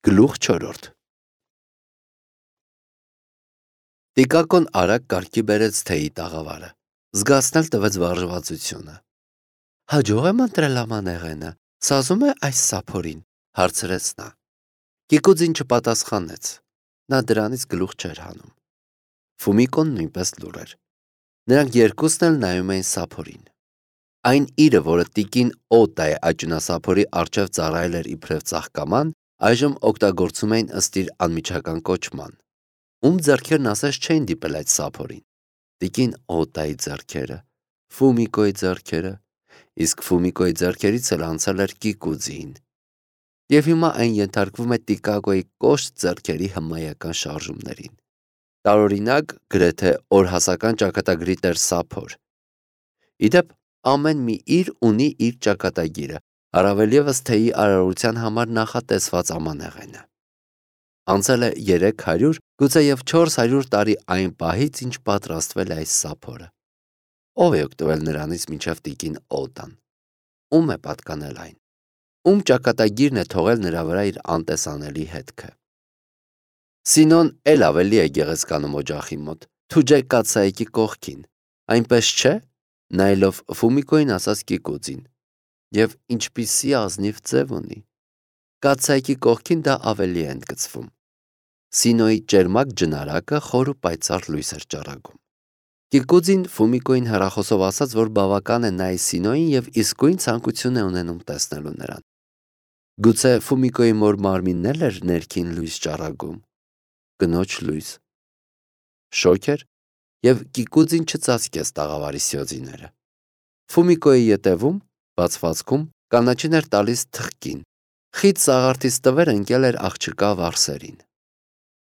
Գլուխ 4 Տիկակոն արագ կարգի բերեց թեյի տաղավարը, զգացնել տվեց վարժվածությունը։ Հաջող եմ ընտրել ամանեղենը, սազում է այս սափորին, հարցրեց նա։ Կիկուձին չպատասխանեց, նա դրանից գլուխ չէր հանում։ Ֆումիկոն նույնպես լուռ էր։ Նրանք երկուսն էլ նայում էին սափորին։ Այն իրը, որը տիկին Օտայ աճյունասափորի առջև ծառայել էր իբրև ծաղկաման, այժմ օգտագործում էին ըստ իր անմիջական կոչման։ Ում ձեռքերն ասես չէին դիպել այդ սափորին։ Տիկին Օտայի ձեռքերը, Ֆումիկոյի ձեռքերը, իսկ Ֆումիկոյի ձեռքերից էլ անցել էր Կիկուձիին։ Եվ հիմա այն ենթարկվում է Տիկակոյի կոշտ ձեռքերի հմայական շարժումներին։ Տարօրինակ, գրեթե օրհասական ճակատագրի տեր սափոր։ Իդեպ ամեն մի իր ունի իր ճակատագիրը, առավել ևս թեյի արարողության համար նախատեսված ամանեղենը։ Անցել է 300, գուցեև 400 տարի այն պահից, ինչ պատրաստվել է այս սափորը։ Ով է օգտվել նրանից մինչև տիկին Օտան։ Ում է պատկանել այն։ Ում ճակատագիրն է թողել նրա վրա իր անտեսանելի հետքը։ Սինոն էլ ավելի է գեղեցկանում օջախի մոտ, թուջե կաթսայիկի կողքին, այնպես չէ, նայելով Ֆումիկոյին ասաց Կիկուձին, և ինչպիսի ազնիվ ձև ունի։ Կաթսայիկի կողքին դա ավելի է ընդգծվում։ Սինոյի ճերմակ ջնարակը խոր ու պայծառ լույս էր ճառագում։ Կիկուձին Ֆումիկոյին հեռախոսով ասաց, որ բավական է նայի Սինոյին և իսկույն ցանկություն է ունենում տեսնելու նրան։ Գուցե Ֆումիկոյի մոր մարմինն էլ էր ներքին լույս ճառագում։ Կնոջ լույս։ Շոգ էր, և Կիկուձին չծածկեց տաղավարի սյոձիները։ Ֆումիկոյի ետևում, բացվածքում, կանաչին էր տալիս թխկին, խիտ սաղարթից տվեր ընկել էր աղջկա վարսերին։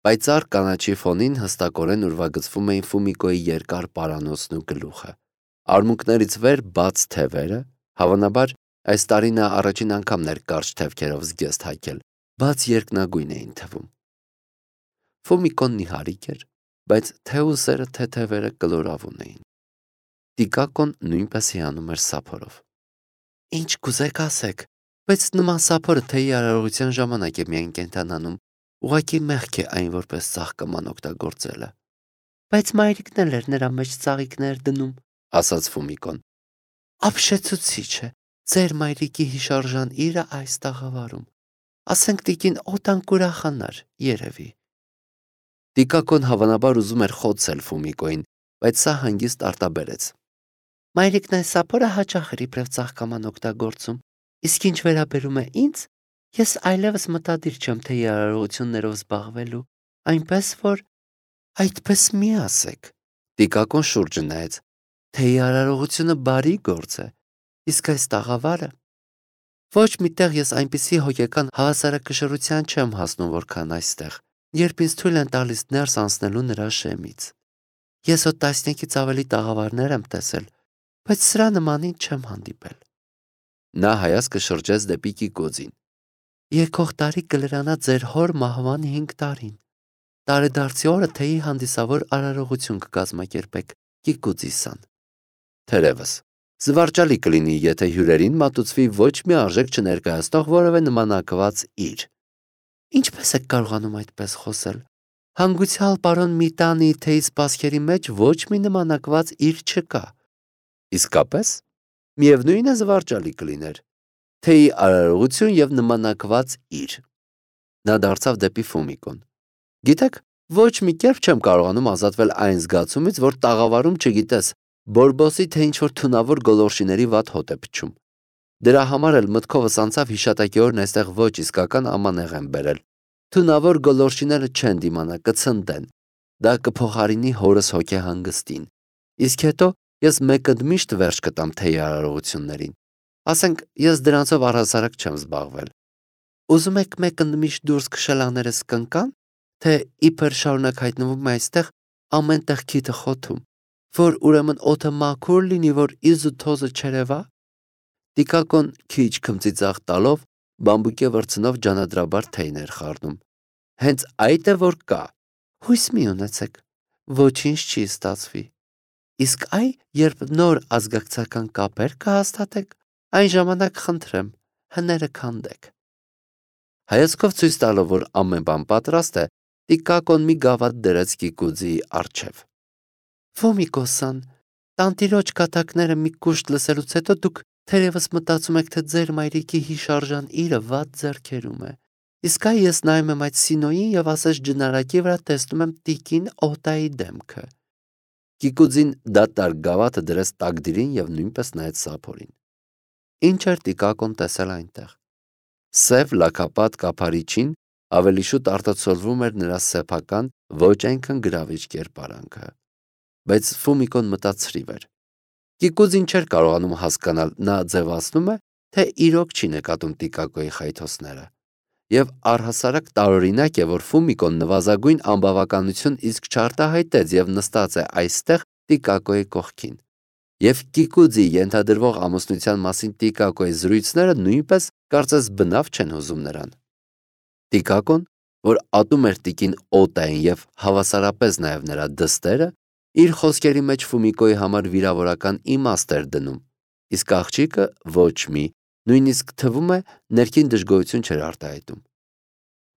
Պայծառ կանաչի ֆոնին հստակորեն ուրվագծվում էին Ֆումիկոյի երկար պարանոցն ու գլուխը։ Արմունկներից վեր բաց թևերը, հավանաբար այս տարի նա առաջին անգամն էր կարճ թևքերով զգեստ հայկել, բաց երկնագույն էին թվում։ Ֆումիկոն նիհարիկ էր, բայց թե ուսերը, թե թևերը կլորավուն էին։ Տիկակոն նույնպես հիանում էր սափորով։ Ինչ կուզեք ասեք, բայց նման սափորը թեյի արարողության ժամանակ է միայն կենդանանում, ուղղակի մեղք է այն որպես ծաղկաման օգտագործելը։ Բայց մայրիկն էլ էր նրա մեջ ծաղիկներ դնում, ասաց Ֆումիկոն։ Ապշեցուցիչ է, ձեր մայրիկի հիշարժան իրը այս տաղավարում։ Ասենք տիկին Օտան կուրախանար, երևի։ Տիկակոն հավանաբար ուզում էր խոցել Ֆումիկոյին, բայց սա հանգիստ արտաբերեց։ Մայրիկն այս սափորը հաճախ էր իբրև ծաղկաման օգտագործում, իսկ ինչ վերաբերում է ինձ, ես այլևս մտադիր չեմ թեյի արարողություններով զբաղվելու, այնպես որ այդպես մի ասեք։ Տիկակոն շուրջը նայեց։ Թեյի արարողությունը բարի գործ է, իսկ այս տաղավարը… Ոչ մի տեղ ես այնպիսի հոգեկան հավասարակշռության չեմ հասնում, որքան այստեղ, երբ ինձ թույլ են տալիս ներս անցնելու նրա շեմից։ Ես հո տասնյակից ավելի տաղավարներ եմ տեսել, բայց սրա նմանին չեմ հանդիպել։ Նա հայացքը շրջեց դեպի Կիկուձին։ Եկող տարի կլրանա ձեր հոր մահվան 5 տարին։ Տարեդարձի օրը թեյի հանդիսավոր արարողություն կկազմակերպեք, Կիկուձիսան։ Թերևս, զվարճալի կլինի, եթե հյուրերին մատուցվի ոչ մի արժեք չներկայացնող որևէ նմանակված իր։ Ինչպես եք կարողանում այդպես խոսել։ Հանգուցյալ պարոն Միտանի թեյի սպասքերի մեջ ոչ մի նմանակված իր չկա։ Իսկապես, միևնույն է զվարճալի կլիներ։ Թեյի արարողություն և նմանակված իր։ Նա դարձավ դեպի Ֆումիկոն։ Գիտեք, ոչ մի կերպ չեմ կարողանում ազատվել այն զգացումից, որ տաղավարում չգիտես, Բորբոսի թե ինչ-որ թունավոր գոլորշիների վատ հոտ է փչում։ Դրա համար էլ մտքովս անցավ հիշատակի օրն այստեղ ոչ իսկական ամանեղեն բերել։ Թունավոր գոլորշիները չեն դիմանա, կցնդեն։ Դա կփոխարինի հորս հոգեհանգստին։ Իսկ հետո ես մեկընդմիշտ վերջ կտամ թեյի արարողություններին։ Ասենք, ես դրանցով առհասարակ չեմ զբաղվել։ Ուզում եք մեկընդմիշտ դուրս քշել աներս կնկան, թե իբր շարունակ հայտնվում է այստեղ ամեն տեղ քիթը խոթում, որ ուրեմն օդը մաքուր լինի, որ իզ ու թոզը չերևա։ Տիկակոն քիչ քմծիծաղ տալով բամբուկե վրձնով ջանադրաբար թեյներ խառնում։ Հենց այդ է որ կա։ Հույս մի ունեցեք, ոչինչ չի ստացվի։ Իսկ այ երբ նոր ազգակցական կապեր կհաստատեք, այն ժամանակ խնդրեմ, հները քանդեք։ Հայացքով ցույց տալով, որ ամեն բան պատրաստ է, Տիկակոն մի գավաթ դրեց Կիկուձիի առջև։ Ֆոմիկոսան, տանտիրոջ կատակները մի կուշտ լսելուց հետո դուք թերևս մտածում եք, թե ձեր մայրիկի հիշարժան իրը վատ ձեռքերում է։ Իսկ այ ես նայում եմ այդ Սինոյին եւ ասես ջնարակի վրա տեսնում եմ տիկին Օտայի դեմքը։ Կիկուձին դատարկ գավաթը դրեց տակդիրին եւ նույնպես նայեց Սափորին։ Ինչ էր Տիկակոն տեսել այնտեղ։ Սև լաքապատ կափարիչին ավելի շուտ արտացոլվում էր նրա սեփական ոչ այնքան գրավիչ կերպարանքը, բայց Ֆոմիկոն մտածրիվ էր։ Կիկուձին չէր կարողանում հասկանալ, նա ձևացնում է, թե իրոք չի նկատում Տիկակոյի խայթոցները։ Եվ առհասարակ տարօրինակ է, որ Ֆոմիկոն նվազագույն անբավականություն իսկ չարտահայտեց եւ նստած է այստեղ Տիկակոյի կողքին։ Եվ Կիկուձի ենթադրվող ամուսնության մասին Տիկակոյի զրույցները նույնպես կարծես բնավ չեն հուզում նրան։ Տիկակոն, որ ատում էր տիկին Օտային եւ հավասարապես նաեւ նրա դստերը, իր խոսքերի մեջ Ֆոմիկոյի համար վիրավորական իմաստ էր դնում, իսկ աղջիկը ոչ մի, նույնիսկ թվում է ներքին դժգոհություն չէր արտահայտում։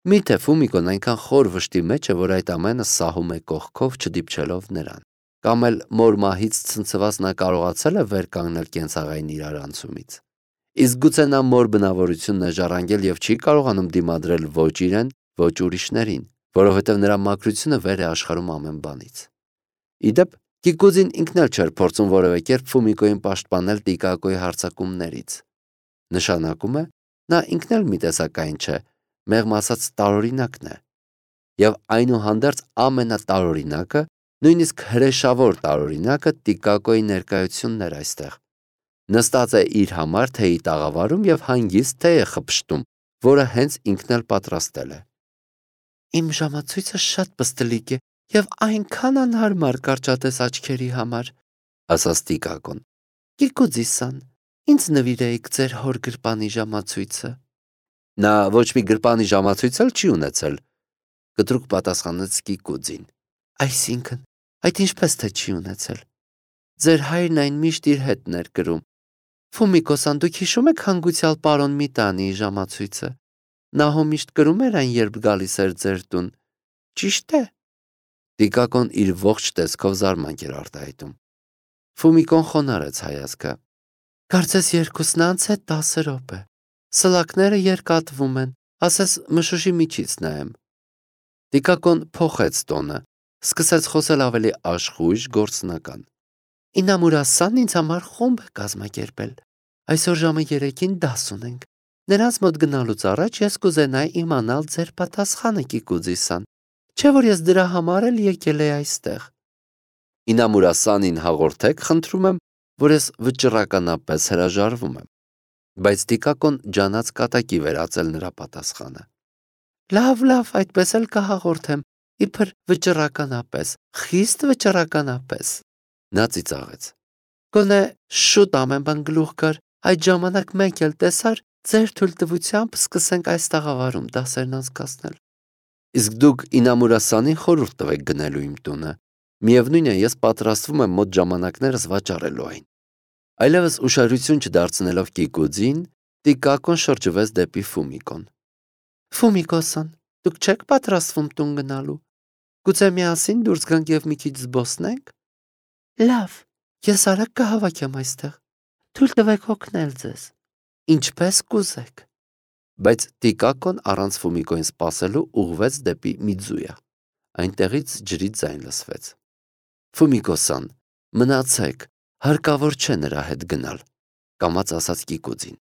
Միթե Ֆոմիկոն այնքան խոր վշտի մեջ է, որ այդ ամենը սահում է կողքով չդիպչելով նրան, կամ էլ մոր մահից ցնցված նա կարողացել է վեր կանգնել կենցաղային իրարանցումից։ Իսկ գուցե նա մոր բնավորությունն է ժառանգել եւ չի կարողանում դիմադրել ոչ իրեն, ոչ ուրիշներին, որովհետեւ նրա մաքրությունը վեր է աշխարհում ամեն բանից։ Իդեպ Կիկուձին ինքն էլ չէր փորձում որևէ կերպ Ֆոմիկոյին պաշտպանել Տիկակոյի հարձակումներից։ Նշանակում է, նա ինքն էլ մի տեսակային չէ, մեղմ ասած տարօրինակն է։ Եվ այնուհանդերձ ամենատարօրինակը, նույնիսկ հրեշավոր տարօրինակը Տիկակոյի ներկայությունն էր այստեղ։ Նստած է իր համար թեյի տաղավարում եւ հանգիստ թեյ է խփշտում, որը հենց ինքն էլ պատրաստել է։ Իմ ժամացույցը շատ պստլիկ է եւ այնքան անհարմար կարճատես աչքերի համար, ասաց Տիկակոն։ Կիկուձիսան, ինձ նվիրեիք ձեր հոր գրպանի ժամացույցը։ Նա ոչ մի գրպանի ժամացույց էլ չի ունեցել, կտրուկ պատասխանեց Կիկուձին։ Այսինքն, այդ ինչպես թե չի ունեցել։ Ձեր հայրն այն միշտ իր հետ ներ կրում։ Ֆոմիկոսան, դուք հիշում եք հանգուցյալ պարոն Միտանիի ժամացույցը։ Նա հո միշտ կրում էր այն, երբ գալիս էր ձեր տուն։ Ճիշտ է։ Տիկակոն իր ողջ տեսքով զարմանք էր արտահայտում։ Ֆոմիկոն խոնարհեց հայացքը։ Կարծես երկուսն անց է 10 րոպե։ Սլակները երկատվում են, ասես մշուշի միջից նայեմ։ Տիկակոն փոխեց տոնը, սկսեց խոսել ավելի աշխույժ, գործնական։ Ինամուրասան ինձ համար խումբ է կազմակերպել։ Այսօր ժամը 3-ին դաս ունենք։ Նրանց մոտ գնալուց առաջ ես կուզենայի իմանալ ձեր պատասխանը, Կիկուձիսան, չէ՞ որ ես դրա համար էլ եկել եի այստեղ։ Ինամուրասանին հաղորդեք, խնդրում եմ, որ ես վճռականապես հրաժարվում եմ։ Բայց Տիկակոն ջանած կատակի վերածել նրա պատասխանը։ Լավ, այդպես էլ կհաղորդեմ, իբր վճռականապես, խիստ վճռականապես։ Նա ծիծաղեց։ Գոնե շուտ ամեն բան գլուխ գար, այդ ժամանակ մենք էլ տեսար, ձեր թույլտվությամբ սկսենք այս տաղավարում դասերն անցկացնել։ Իսկ դուք Ինամուրասանին խորհուրդ տվեք գնելու իմ տունը։ Միևնույն է, ես պատրաստվում եմ մոտ ժամանակներս վաճառելու այն։ Այլևս ուշադրություն չդարձնելով Կիկուձին, Տիկակոն շրջվեց դեպի Ֆոմիկոն։ Ֆոմիկոսան, դուք չեք պատրաստվում տուն գնալու։ Գուցե միասին դուրս գանք եւ մի քիչ զբոսնենք։ Լավ, ես արագ կհավաքեմ այստեղ։ Թույլ տվեք օգնել ձեզ։ Ինչպես կուզեք։ Բայց Տիկակոն առանց Ֆոմիկոյին սպասելու ուղղվեց դեպի Միձույա։ Այնտեղից ջրի ձայն լսվեց։ Ֆոմիկոսան, մնացեք, հարկավոր չէ նրա հետ գնալ, կամաց ասաց Կիկուձին։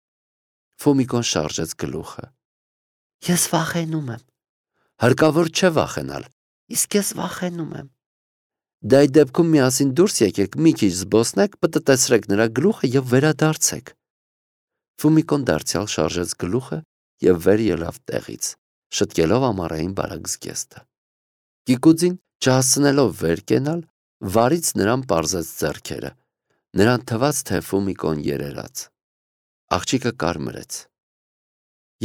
Ֆոմիկոն շարժեց գլուխը։ Ես վախենում եմ։ Հարկավոր չէ վախենալ, իսկ ես վախենում եմ։ Դա այդ դեպքում միասին դուրս եկեք, մի քիչ զբոսնեք, պտտեցրեք նրա գլուխը եւ վերադարձեք։ Ֆոմիկոն դարձյալ շարժեց գլուխը եւ վեր ելավ տեղից, շտկելով ամառային բարակ զգեստը։ Կիկուձին, չհասցնելով վեր կենալ, վարից նրան պարզեց ձեռքերը։ Նրան թվաց, թե Ֆոմիկոն երերաց։ Աղջիկը կարմրեց։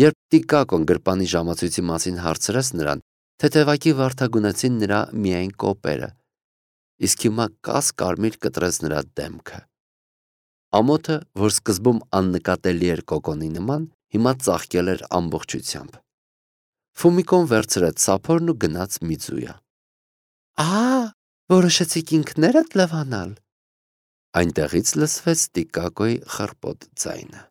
Երբ Տիկակոն գրպանի ժամացույցի մասին հարցրեց նրան, թեթևակի վարդագունեցին նրա միայն կոպերը, իսկ հիմա կարմիր կտրեց նրա դեմքը։ Ամոթը, որ սկզբում աննկատելի էր կոկոնի նման, հիմա ծաղկել էր ամբողջությամբ։ Ֆումիկոն վերցրեց սափորն ու գնաց Միձույա։ Որոշեցիք ինքներդ լվանալ։ Այնտեղից լսվեց Տիկակոյի խռպոտ ձայնը։